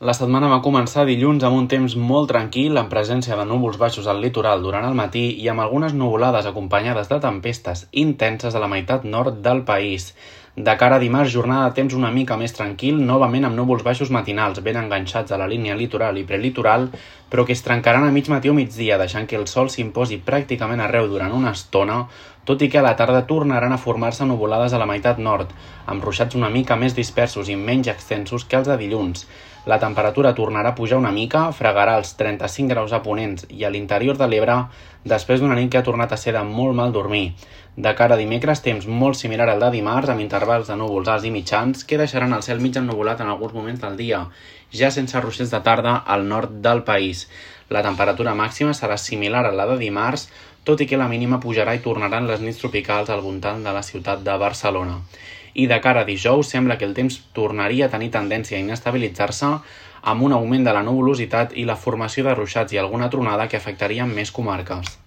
La setmana va començar dilluns amb un temps molt tranquil, amb presència de núvols baixos al litoral durant el matí i amb algunes nuvolades acompanyades de tempestes intenses a la meitat nord del país. De cara a dimarts, jornada de temps una mica més tranquil, novament amb núvols baixos matinals ben enganxats a la línia litoral i prelitoral, però que es trencaran a mig matí o migdia, deixant que el sol s'imposi pràcticament arreu durant una estona, tot i que a la tarda tornaran a formar-se nuvolades a la meitat nord, amb ruixats una mica més dispersos i menys extensos que els de dilluns. La temperatura tornarà a pujar una mica, fregarà els 35 graus a Ponent i a l'interior de l'Ebre, després d'una nit que ha tornat a ser de molt mal dormir. De cara a dimecres, temps molt similar al de dimarts, amb intervals de núvols alts i mitjans, que deixaran el cel mig ennuvolat en alguns moments del dia, ja sense ruixats de tarda al nord del país. La temperatura màxima serà similar a la de dimarts, tot i que la mínima pujarà i tornaran les nits tropicals al voltant de la ciutat de Barcelona. I de cara a dijous sembla que el temps tornaria a tenir tendència a inestabilitzar-se amb un augment de la nuvolositat i la formació de ruixats i alguna tronada que afectarien més comarques.